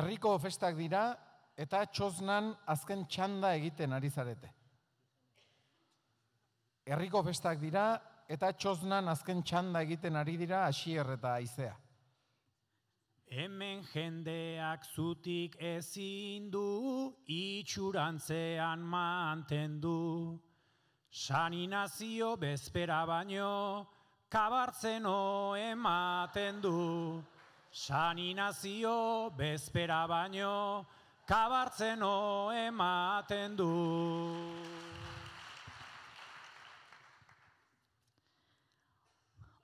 Herriko festak dira eta txosnan azken txanda egiten ari zarete. Herriko festak dira eta txosnan azken txanda egiten ari dira Asier eta Aizea. Hemen jendeak zutik ezin du, itxurantzean mantendu. San Inazio bezpera baino, kabartzeno ematen du. San Inazio bezpera baino, kabartzeno ematen du.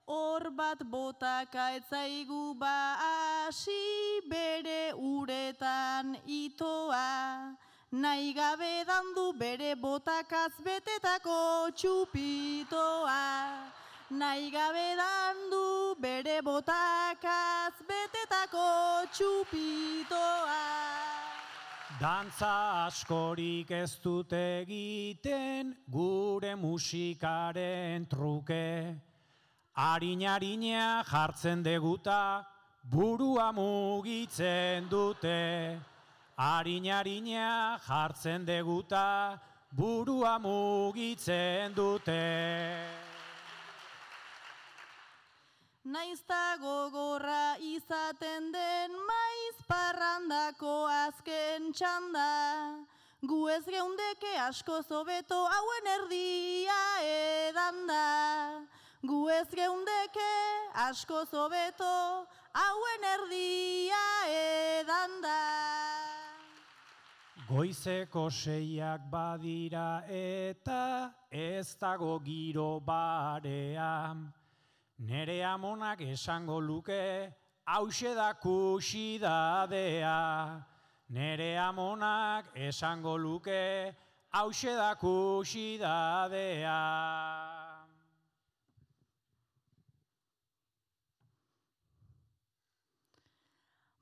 Hor bat botaka etzaigu hasi bere uretan itoa, nahi gabe dandu bere botakaz betetako txupitoa. Nahi gabe dandu bere botakaz betetako txupitoa. Dantza askorik ez dut egiten gure musikaren truke. Harina jartzen deguta, burua mugitzen dute. Harina jartzen deguta, burua mugitzen dute. Naizta gogorra izaten den maiz parrandako azken txanda, gu ez geundeke asko zobeto hauen erdia edanda. Gu ez geundeke asko zobeto hauen erdia edanda. Goizeko 6 badira eta ez dago giro barea. Nere amonak esango luke hauxe da kuxidadea. Nere amonak esango luke hauxe da kuxidadea.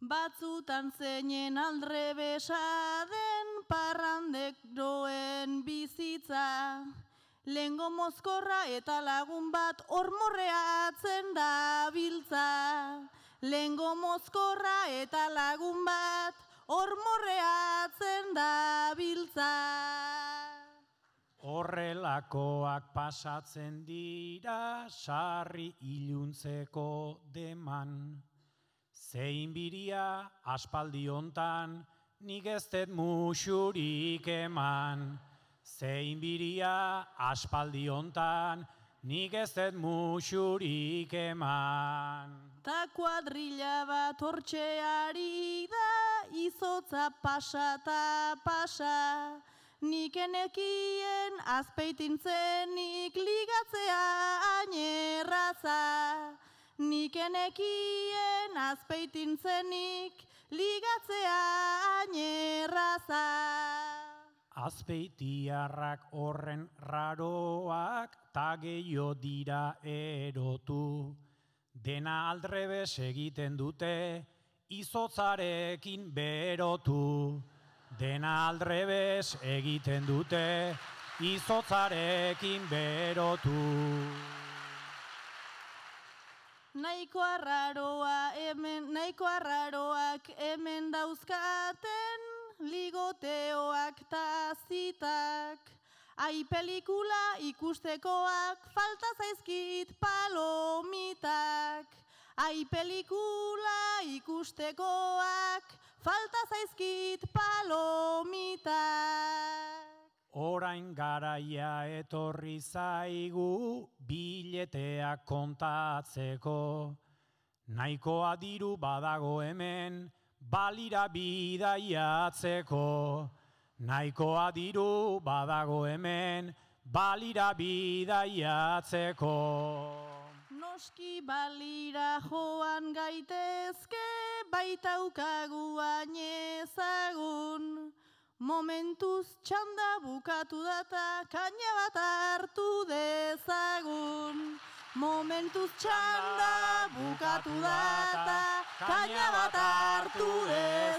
Batzutan zeinen aldrebesa den parranderoen bizitza, lehengo mozkorra eta lagun bat ormorreatzen da biltza. Lehengo mozkorra eta lagun bat ormorreatzen da biltza. Horrelakoak pasatzen dira sarri iluntzeko deman. Zein biria aspaldi hontan nik ez dut musurik eman. Zein biria aspaldi hontan nik ez dut musurik eman. Ta kuadrilla bat hortxeari da izotza pasa ta pasa. Nik enekien azpeitintzenik ligatzea ainerraza. Nik enekien azpeitintzenik ligatzea ainerraza. Azpeitiarrak horren raroak ta gehiago dira erotu. Dena aldrebes egiten dute izotzarekin berotu. Dena aldrebes egiten dute izotzarekin berotu. Nahiko arraroak hemen dauzkaten ligoteoak ta zitak. Ai pelikula ikustekoak falta zaizkit palomitak. Ai pelikula ikustekoak falta zaizkit palomitak. Orain garaia etorri zaigu bileteak kontatzeko. Nahikoa diru badago hemen balira bidaiatzeko. Nahikoa diru badago hemen balira bidaiatzeko. Noski balira joan gaitezke baitaukagu ezagun. Momentuz txanda bukatu data kaina bat hartu dezagun. Momentuz txanda bukatu data kaina bat hartu dezagun.